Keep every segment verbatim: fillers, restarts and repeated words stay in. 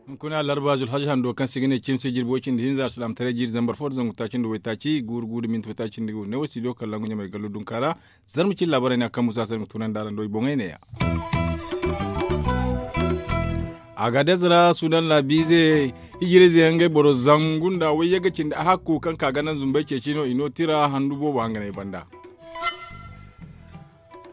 Hunkuna larba zulhaji hando kaŋ se ga ne cimse jirbi way cindi hinza alsilaamataray jiiri zambar fo nda zangu taaci nda waytaaci guuru guuru da minti waytaaci nda ga wane wo studio kallaŋ ga ɲamay gallo dunkaara. Zarma cin laabaray no a kaŋ musa se ma tunandi araŋ do i boŋey neeya. Agaadez ra sudan laabiize hijirayze yaŋ ngey boro zangu nda wayyagga cindi a hakku kaŋ ka ga naŋ zumbay ceeci no i no tira handu boobo hanganay banda.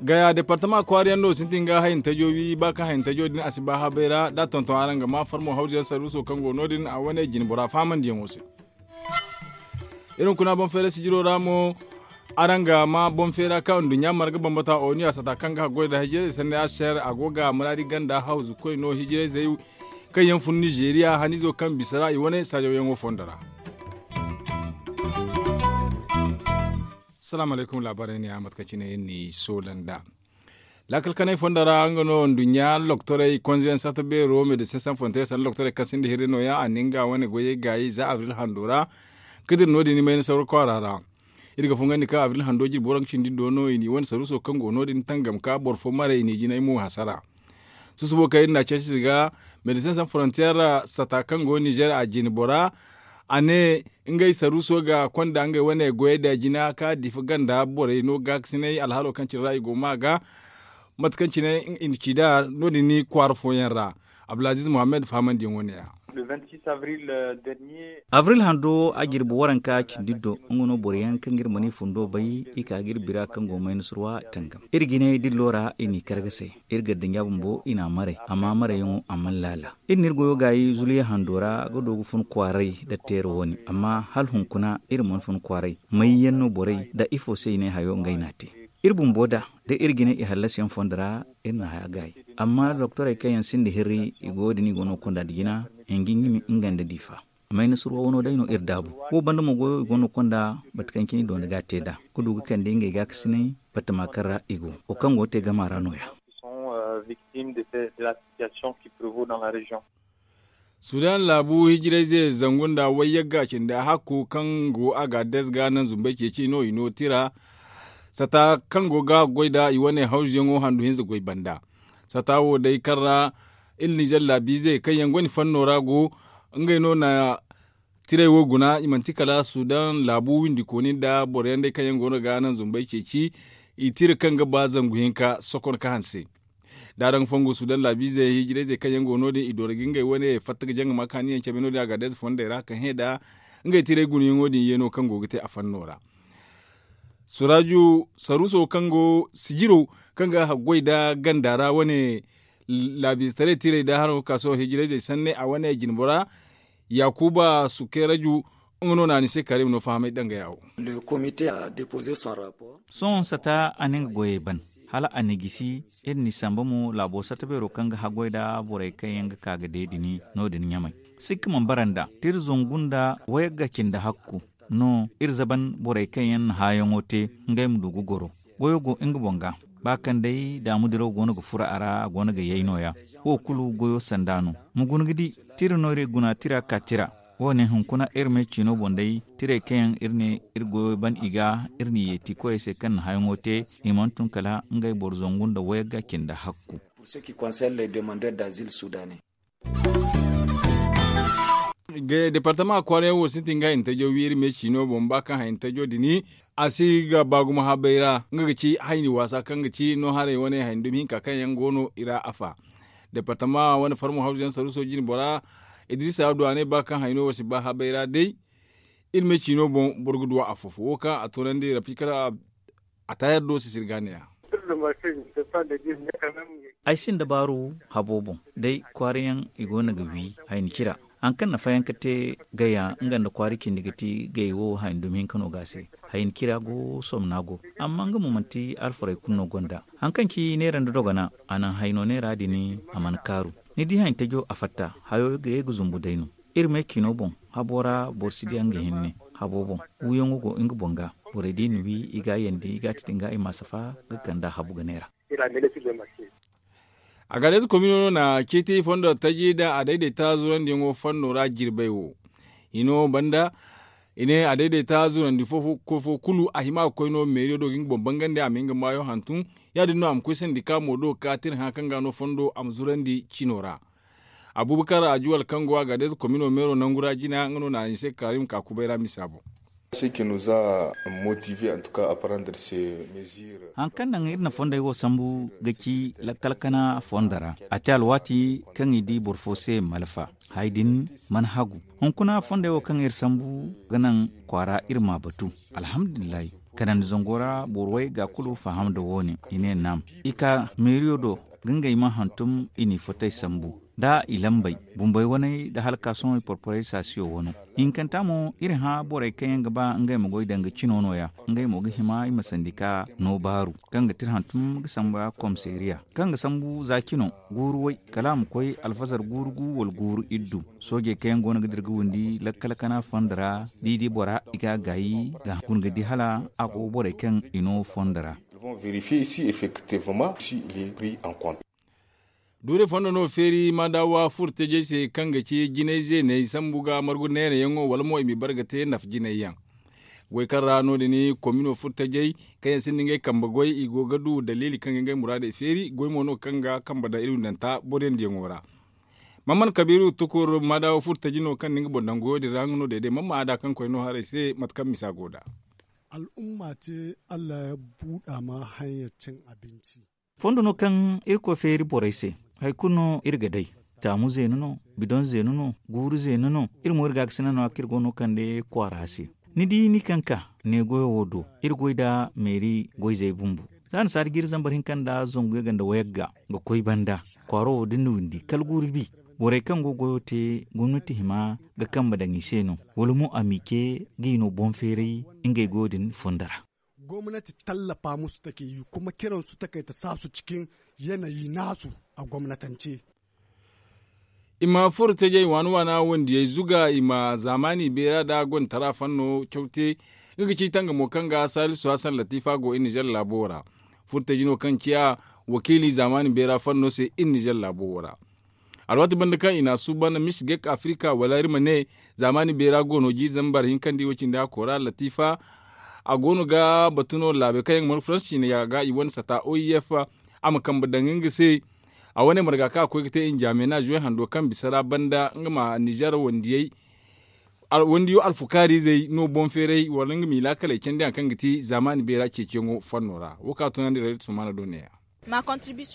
Gaya departama kwaara yaŋ no sintin ga hayantajo wi ba kaŋ hayantajo din a si ba habay ra da a tonton araŋ ga ma farmo hawzu yaŋ sarruso kaŋ go no- din a wane jine bora fahamandiyaŋo se. Iri hunkuna boŋ feera sijiro ra mo araŋ ga ma boŋ feera kaŋ nduɲɲa marga bambata oniya sata kaŋ ga haggoy nda hijirayzey sanday a se a go ga muraadi ganda hawzu koy no hijirayzey kaŋ yaŋ fun nizeeriya hanizo kaŋ bisa ra i wane saajawyaŋo fondo ra. Salaamu alaykum laabaarey ne a mate kaŋ cine iri n'i soola nd'a. Laakal kanay fondo ra nga no nduɲɲa loktorey konzeyaŋ sata beero medecin sans frontier sanda loktorey kaŋ sinda hirri nooya a na nga wane goyey gaayi za abril hando ra. Ga dira no- din i mayna sawra kwaara ra. Iri ga fungandi kaŋ abril hando jirbi waranka cindi do no i n'i wane saruuso kaŋ go no- din tangam ka boro fo maray i n'i jinay mo hasara. Susubo kaŋ iri n'a ceeci se ga medecin sans frontier sata kaŋ go nizer a jine bora a ne ngey saruuso ga konda ngey wane goyey da jina ka difa ganda borey no gaakasinay alhaalo kaŋ cine ra i go ma ga mate kaŋ cine i na ci nd'a no- din kwaara fooyaŋ ra. Abdulaziz muhammad fahamandiyaŋo ne ya. Abril hando a jirbi waranka cindi do nga no boro yaŋ kaŋ ga iri mana i fundo bay i ka ga iri bira kaŋ go mayna surwa tangam iri jinay dillo ra i n'i kar ga say. Iri gardiɲa bumbo i n'a maray amma marayyaŋo a mana laala. Iri na iri goyo gaayi zuliya hando ra ga du ga fun kwaaray nda teera wo- ne amma hala hunkuna iri mana fun kwaaray mayyaŋ no borey nda ifo se i ne hayo ngey n'a te. Iri bumbo da da iri jine i hallasiyaŋ fondo ra iri na haya gaayi. Amma doktorey kaŋ yaŋ sinda hirri i goyo din i go no ga konda nda jina hinjinjimi nga nda diifa. Mayna surwa wano day no iri daabu. Wo banda mo goyo i go no ga konda bata kaŋ cine i doona ga a te nd'a ga du ga kande ngey gaakasinay batama kaŋ ra i go wo kaŋ go ga te gama ra nooya. Sudan laabu hijirayze zangu nda wayyagga cindi a hakku kaŋ go a ga des ga naŋ zumbay ceeci no i no tira sata kaŋ go ga goy nda i wane hawzuyaŋo handu hinza goy banda. Sata wo day kaŋ ra iri nizer laabiize kaŋ yaŋ gonda fanno ra go ngey no na tiray wo guna i manti kala sudan laabu windikooni nda boro yaŋ day kaŋ yaŋ go no ga naŋ zumbay ceeci. I tira kaŋ ga ba zangu hinka sokon ka hanse. Da araŋ fongu sudan laabiizey hijirayzey kaŋ yaŋ go no- din i doona ga ngey wane fatta ga jaŋ ga ma kaaniyaŋ cabe no- din a ga adayze fondey ra ka hẽ nda ngey tiray gunayaŋo din yeeno kaŋ go ga te a fanno ra. Suraaju saruuso kaŋ go sijiro kaŋ ga haggoy nda ganda ra wane laabiizetaray tiray nda haraŋo ga ka sohõ hijirayzey sanne a wane jinbo ra. Yaakuba sukeeraju nga no na ni se karim no fahamay dangaya wo. Sohõ sata a na nga goyey ban hala a na gisi. Iri n'i samba mo laabo sata beero kaŋ ga haggoy nda borey kaŋ yaŋ ga ka ga deedini no- din ɲamay. Sikka mana bara nd'a tira zangu nda wayagga cindi hakku no iri zaban borey kaŋ yaŋ na haayaŋo te ngey ma du ga goro. Goyo go nga boŋ ga ba kaŋ day daamu diraw go no ga furo a ra a go no ga yay nooya. Wo kulu goyo sanda no. Ma guna ga di tira no iri guna tira ka tira. Wo- ne hunkuna iri me ciino boŋ day tirey kaŋ yaŋ iri ne iri goyo ban i ga iri n'i yeeti koyey se kaŋ na haayaŋo te i mana tun kala ngey boro zangu nda wayagga cindi hakku. Departama kwaarayaŋ wo sintin ga hayantajo wi iri me ciino boŋ ba kaŋ hayantajo dini a si ga ba gumo habay ra nga ga ci hayni waasa kaŋ ga ci no haray wane hayni dumi hinka kaŋ yaŋ go no i ra afa. Departama wane farmo hawzu yaŋ saruuso jine bora idrisa a du a ne ba kaŋ hayno wo si ba habay ra day. Iri me ciino boŋ boro ga duwa afo fo wo kaŋ a toonandi rafi kala a taayar do sisiri ga ne ya. Ay sinda baaru habo boŋ day kwaara yaŋ i go no ga wi hayni cira. Haŋ kaŋ na fayanka te gaya nga nda kwaari cindi ga ti gay wo hayni dumi hinka no ga se. Hayni cira go somna go amma nga mo manti alfaray kulu no gonda. Haŋ kaŋ ci neera nda dogona a naŋ hayno neera din a mana kaaru. Ni di hayni tajo a fatta hayo ga ye ga zumbu day no. Iri me ciino boŋ habo ra boro si diya nga hinne habo boŋ. Wiyaŋo go nga boŋ ga borey da i na wi i ga a yandi i ga a titi nga i ma a safa ga kand'a habu ga neera. A ga day za komino no na ceeti fondo taji nda a dayday ta zurandiyaŋo fanno ra jirbay wo. Hino banda I ne a dayday ta zurandi fo fo kulu a hima ga koy no meeriyo do ga nga boŋ bangandi a ma hin ga maayo hantum. Ya- din no a ma koy sandi ka mo do ga ka tira hã kaŋ ga no fondo a ma zurandi cino ra. Abubakar ajuwal kaŋ go a ga day za komino meero nangu ra jina nga no na a ni se karim ka kubay ra misa boŋ. Haŋ kaŋ naŋ iri na fondey wo sambu ga ci lakkal kana fondo ra a te alwaati kaŋ i di boro fo se malfa. Hay din mana hagu hunkuna fondey wo kaŋ iri sambu ga naŋ kwaara iri ma batu. Alhamdulillahi, kanandi zango ra boro way ga kulu faham nda wo- ne i ne naam. I ka meeriyo do ga ngey ma hantum i n'i fotey sambu nda i lambey bumbey waney nda halkaasoŋey porporey saasiyo wano. Hinkanta mo iri hã borey kaŋ yaŋ ga ba ngey ma goy danga cino no- ya. Ngey mo ga hima i ma sandi ka no baaru kaŋ ga tira hantum ga samba komiseeriya kaŋ ga sambu za cino guuru way kala a ma koy alfazar guuru gu wala guuru iddu. Soojey kaŋ yaŋ go no ga dira ga windi lakkal kana fondo ra da i di bora i ga a gaayi ga guna ga di hala a go borey kaŋ i no fondo ra. Duure fondo no feeri ma daawa furtajey se kaŋ ga ci jinay zeeney sambu ga margu neerayaŋo wala mo i ma i bare ga te nafa jinay yaŋ. Goy kaŋ ra no- din komino furtajey kaŋ yaŋ sinda ngey kambe goy i go ga du daliili kaŋ ga ngey muraadey feeri goy mo no kaŋ ga kambe daŋ iri windanta boro yaŋ diyaŋo ra. Mamman kabiiru tukur ma daawa furtaji no kaŋ na nga boŋ daŋ goyo din ra nga no day day mamma a da kaŋ koy no haray se mate kaŋ misa go nd'a. Al'umma te allah ya buuda ma hanya cin abinci. Fondo no kaŋ irkoy feeri borey se. Hari kulu no iri ga day. Taamu zeenu no, bidoŋ zeenu no, guuru zeenu no. Iri mo iri gaakasina no a kaŋ iri go no kande kwaara se. Ni di ni kaŋ ka ne goyo wo do iri goy nda meeri goyzey bumbo. Za ni saadi jiiri zambar hinka nda zangu yagga nda wayagga ga koy banda kwaaro wo da ni na windi kala guuru bi. Borey kaŋ go goyo te gomnati hima ga kambe daŋ i se no wala mo a m'i ce ga i no boŋ feeray ngey goyo din fondo ra. Gomnati tallafa musu take yi kuma kiransu take ta sa su cikin yanayi nasu a gomnatance. I ma furo tajey waana waana wandiyey zuga i ma zaamaani beera nda gonda tara fanno caw te. Nga ga ci tangamo kaŋ ga saalisu hasan latifa go iri nizer laabo ra. Furo taji no kaŋ ciya wakiili zaamaani beera fanno se iri nizer laabo ra. Alwaati banda kaŋ i na a suuban misigek afirika wala iri ma ne zaamaani beera go no jiiri zambar hinka nda i wo cindi a koora latifa. A go no ga batu no laabey kaŋ yaŋ ga margu faransa ciine ga i wane sata o i f. A ma kambe daŋ nga se. A wane marga kaŋ a koy ga te injamena zuwey hando kaŋ bisa ra banda nga ma nizer wandiyey. Wandiyo alfukaari izey no boŋ feeray wala nga m'i laakaley candi hari kaŋ ga ti zaamaani beera ceeciyaŋo fanno ra wo kaŋ a tunandi rayda sumaana do neeya.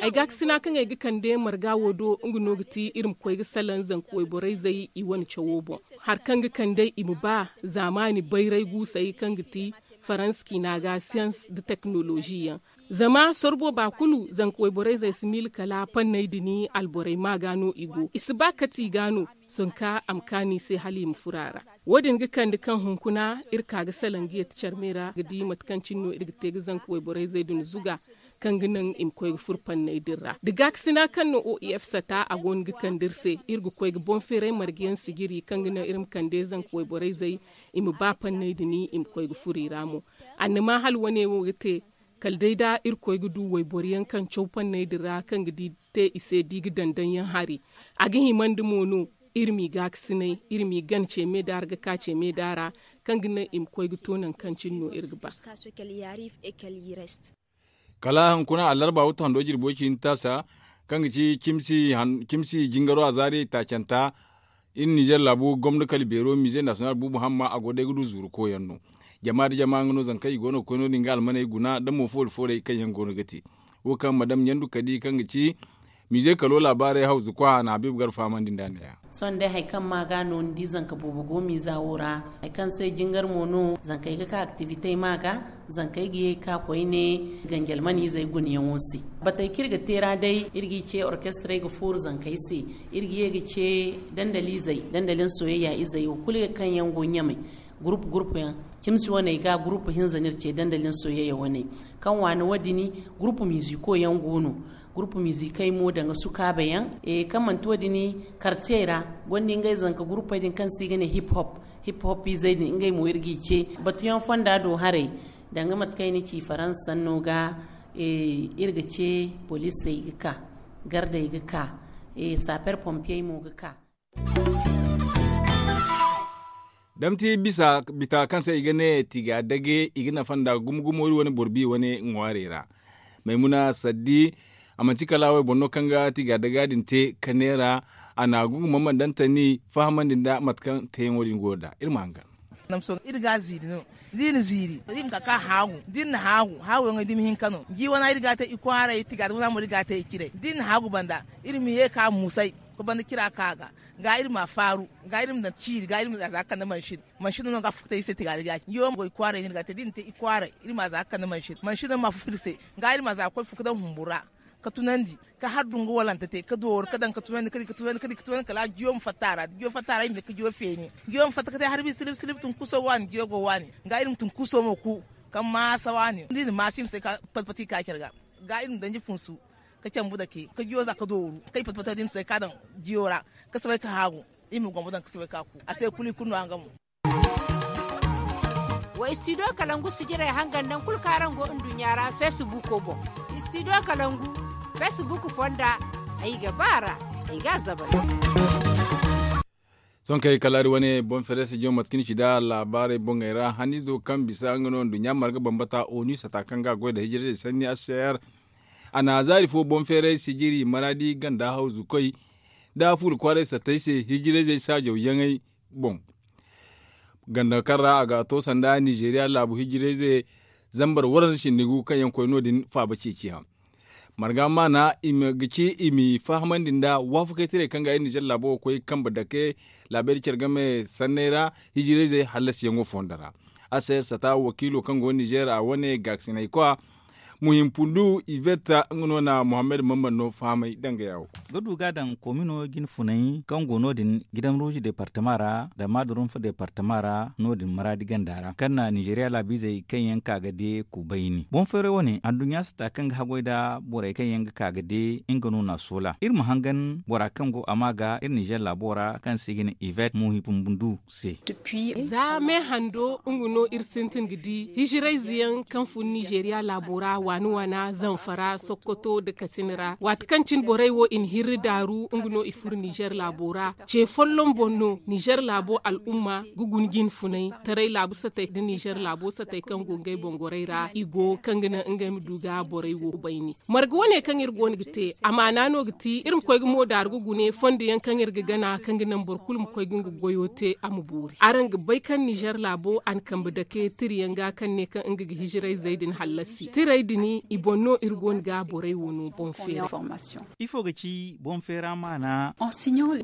Ay gaakasina kaŋ ay ga kande marga wo do nga no ga ti iri ma koy ga salaŋ zanka wayborey zey i wane cawo boŋ. Hari kaŋ ga kande i ma ba zaamaani bayray guusey kaŋ ga ti faransa ciina ga siyans nda teknolozi yaŋ. Zama sorro booba kulu zanka wayborey zey si miila kala panney din alborey ma ga no i go i si ba kate i ga no. Zanka a ma kaanu i se hala i ma furo a ra. Wo- din ga kande kaŋ hunkuna iri ka ga salaŋ ga yeeti care me ra ga di mate kaŋ cine no iri ga te ga zanka wayborey zey din zuga kaŋ ga naŋ i ma koy ga furo panney din ra da gaakasina kaŋ no o i f sata a go no ga kande iri se. Iri ga koy ga boŋ feeray marga yaŋ sijiri kaŋ ga naŋ iri ma kande zanka wayborey zey i ma ba panney din i ma koy ga furo i ra mo. Annama hala wane wo ga te kala day da irkoy ga du wayboro yaŋ kaŋ caw panney din ra kaŋ ga di te i se da i ga daŋ daŋ yaŋ hari. A ga himandi mo no iri m'i gaakasinay iri m'i gana ce meeda ra ga ka ce meeda ra kaŋ ga naŋ i ma koy ga to nangu kaŋ cine no iri ga ba. Kala hunkuna allarba wuttu hando jirbi way cindi taasa kaŋ ga ci cimsi jingaro a zaari taacanta. Iri nizer laabu gomna kala beero mize nasiyonal buubu hamma a go day ga du zuuru koyaŋ no. Jama nda jama nga no zama kaŋ i go no ga koy no- din ga almaney guna nda mo foori foorey kaŋ yaŋ go no ga te. Wo kaŋ madam ɲandu kadi kaŋ ga ci mize kalo laabaarey hawzu kwa na habiibu gar fahamandi nd'a neeya. Sohõ day hari kaŋ ma ga no ni di zanka boobo go miiza wo ra. Hari kaŋ se jingar mo no zankey ga ka aktivitey ma ga. Zankey ga ye ga ka koyne ganji alman izey gunayaŋo se. Batey kaŋ iri ga te ra day iri g'i ce orkestrey ga fooru zankey se. Iri ga ye ga ce dandalizey dandalin soyayya izey wo kulu ga kaŋ yaŋ go ɲamey. Gurupu gurupu yaŋ cimsi waney ga gurupu hinza no iri ce dandalin soyayya waney. Kaŋ waani wo- din gurupu miiziko yaŋ go no. Gurupu miizikey mo danga sukaaba yaŋ kaŋ manti wo- din kartiyey ra. Gonda ngey zanka gurupey din kaŋ se i ga ne hip hop. Hip hop izey din ngey mo iri g'i ce batuyaŋ fonda do haray. Danga mate kaŋ i na ci faransa sanno ga iri ga ce poliisey ga ka gardey ga ka saaper pompiyey mo ga ka. Damti bisa bita kaŋ se i ga ne tiga dage i ga nafa nda gumo gumo iri wane boro bi wane ŋwaarey ra. Maymuna saddi a manti kala wayboro no kaŋ ga tiga daga din te ka neera. A na gugu mamman dantani fahamandi nda mate kaŋ teeyaŋo din go nda iri ma hangan. Iri ga a ziiri no da iri na ziiri iri ma ka ka haagu da iri na haagu haaguyaŋey dumi hinka no jiiwana iri ga a te i kwaaray tiga da wana mo iri ga a te i ciray da iri na haagu banda iri ma ye ka muusay ka banda cira ka ga ga iri ma a faaru ga iri ma daŋ ciiri ga iri ma a za ga kande mansin mansin no ga a fufta iri se tiga da ga a ci jiiwa ma goy kwaaray no iri ga a te da iri na te i kwaaray iri ma a za ga kande mansin mansin no ma a fufta iri se ga iri ma a za ga koy fu ka daŋ humbu ra ka tunandi ka har dungu walante te ka dooru ka daŋ ka tunandi ka di ka tunandi ka di ka tunandi kala jiiwa ma fatta a ra da jiiwa fatta a ra iri ma ne ka jiiwa feeni jiiwa ma fatta ka te harbi silib silib tunkuso waani jiiwa go waani ga iri ma tunkuso mo ku kaŋ maasa waani da iri na maasa iri ma se ka pati pati ka care ga ga iri ma danji funsu ka cambu dake ka jiyo za ka dooru kay pati pati din sai ka daŋ jiyo ra ka sabay ka haagu iri ma gombo daŋ ka sabay ka ku a te kulu i kulu no a ga mo. Wa istidiyo kalangu sijirey hangan naŋ kulu kaŋ araŋ go nduɲɲa ra feesibuuko boŋ. Istidiyo kalangu feesibuuku fonda ay ga ba a ra ay ga a zabal. Sohõ kay kala iri wane boŋ feere sijiyo mate kaŋ ni ci nd'a laabaarey boŋey ra haniizo kaŋ bisa nga no nduɲɲa marga bambata onu sata kaŋ ga a goy nda hijirayzey sanni a se. A na zaari fo boŋ feeray sijiri maraadi ganda hawzu koy nda fuula kwaaray satey se hijirayzey saajaw yaŋey boŋ. Ganda kaŋ ra a ga to sanda nizeeriya laabu hijirayze zambar waranza cindi gu kaŋ yaŋ koy no- din faaba ceeciyaŋ. Marga maana i ma ga ci i m'i fahamandi nda waafakaytaray kaŋ ga iri nizer laabo ga koy kambe dake laabey da care game sanney ra hijirayzey hallasiyaŋo fondo ra. Aser sata wakiilo kaŋ go nizer a wane gaakasinay kwa muhim pundu ivetta nga no na muhammad mamman no fahamay danga yawo. Ga du ga a daŋ komino jine funay kaŋ go no- din gidan ruuzi departama ra da maadurunfa departama ra no- din maraadi ganda ra kaŋ na nizeeriya laabiizey kaŋ yaŋ ka ga de kubayni boŋ feeray wane anduɲɲa sata kaŋ ga haggoy nda borey kaŋ yaŋ ga ka ga de nga no na a soola iri ma hangan bora kaŋ go a ma ga iri nizer laabo ra kaŋ se ga ne ivet muhi pumbundu se. Za me hando nga no iri sintin ga di hijirayze yaŋ kaŋ fun nizeeriya laabo ra waana waana zamfara sokoto nda katsina ra waati kaŋ cine borey wo i na hirri daaru nga no i furo nizer laabo ra. Ce folloŋ boŋ no nizer laabo al'umma ga guna jine funay taray laabu satey nda nizer laabo satey kaŋ go ngey boŋ gorey ra i go kaŋ ga naŋ ngey ma du ga borey wo bayni. Marga wane kaŋ iri go no ga te amaana no ga ti iri ma koy ga mo daaru ga gune fondo yaŋ kaŋ iri ga gana kaŋ ga naŋ boro kulu ma koy ga nga goyo te a ma boori araŋ ga bay kaŋ nizer laabo a na kambe dake tira yaŋ ga kaŋ ne kaŋ nga ga hijirayzey din hallasi tiray din i boŋ no iri go no ga borey wo no boŋ feera. Ifo ga ci boŋ feera maana?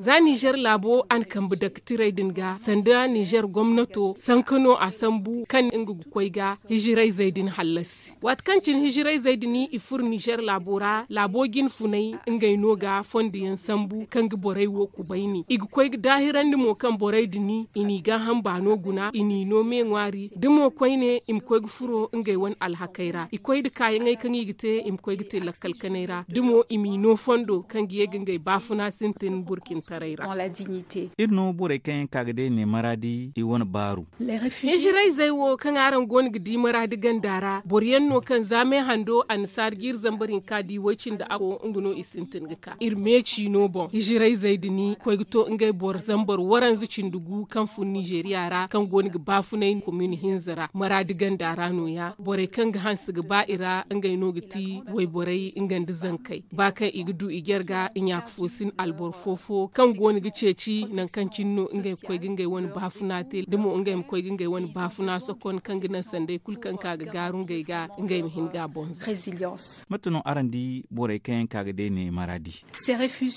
Za nizer laabo a na kambe dake tiray din ga sanda nizer gomnato sanka no a sambu kaŋ nga ga koy ga hijirayzey din hallasi waati kaŋ cine hijirayzey din i furo nizer laabo ra laabo jine funay ngey no ga fondo yaŋ sambu kaŋ ga borey wo kubayni i ga koy ga daahirandi mo kaŋ borey din i n'i gaaham baano guna i n'i no me ŋwaari da mo koyne i ma koy ga furo ngey wane alhakey ra i koy nda kaayaŋey kaŋ i ga te i ma koy ga te lakkal kanay ra da mo i m'i no fondo kaŋ ga ye ga ngey baafuna sintin burkintaray ra. Iri no borey kaŋ yaŋ ka ga day ne maraadi i wane baaru. Hijirayzey wo kaŋ araŋ go no ga di maraadi ganda ra boro yaŋ no kaŋ za me hando annasaara jiiri zambar hinka di way cindi ako nga no i sintin ga ka iri meeci no boŋ hijirayzey din koy ga to ngey boro zambar waranza cindi gu kaŋ fun nizeeriya ra kaŋ go no ga baafunay komin hinza ra maraadi ganda ra no- ya borey kaŋ ga hanse ga ba i ra ngey no ga ti wayborey nga nda zankey ba kaŋ i ga du i jarga i ɲaaka fo sin alboro fo fo kaŋ go no ga ceeci nangu kaŋ cine no ngey ga koy ga ngey wane baafuna te da mo ngey ma koy ga ngey wane baafuna sokon kaŋ ga naŋ sanday kulu kaŋ ka ga gaaru ngey ga ngey ma hin ga a bonza. Mate no araŋ di borey kaŋ yaŋ ka ga day ne maraadi?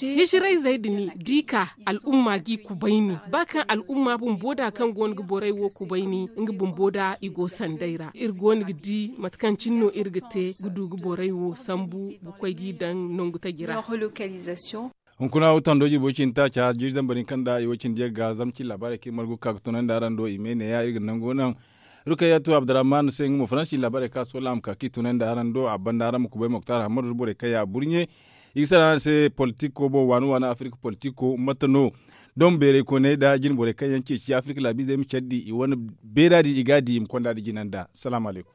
Hijirayzey din di ka al'umma g'i kubayni ba kaŋ al'umma bumbo da kaŋ go no ga borey wo kubayni nga bumbo da i go sanday ra iri go no ga di mate kaŋ cine no iri ga te ga du ga borey wo sambu ga koy g'i daŋ nangu taji ra. Hunkuna wo tando jirbo cindi taaca jiiri zambar hinka nda i wo cindi yaŋ ga zama cine laabaarey kaŋ iri margu ga ka ga tunandi araŋ do i me neeya iri ga nango naŋ. Rukayatu abdurrahman se nga mo faransi cine laabaarey kaŋ a soola a ma ka kaŋ i tunandi araŋ do a banda araŋ ma kubay moktar hammadu nda borey kaŋ yaŋ a burɲe. I ga salaŋ araŋ se politiko boŋ waani waani afirika politiko mate no doŋ beeray koyney nda jine borey kaŋ yaŋ ceeci afirika laabiizey ma care di i wane beera din i ga a di i ma konda nda jina nda salaamu alaykum.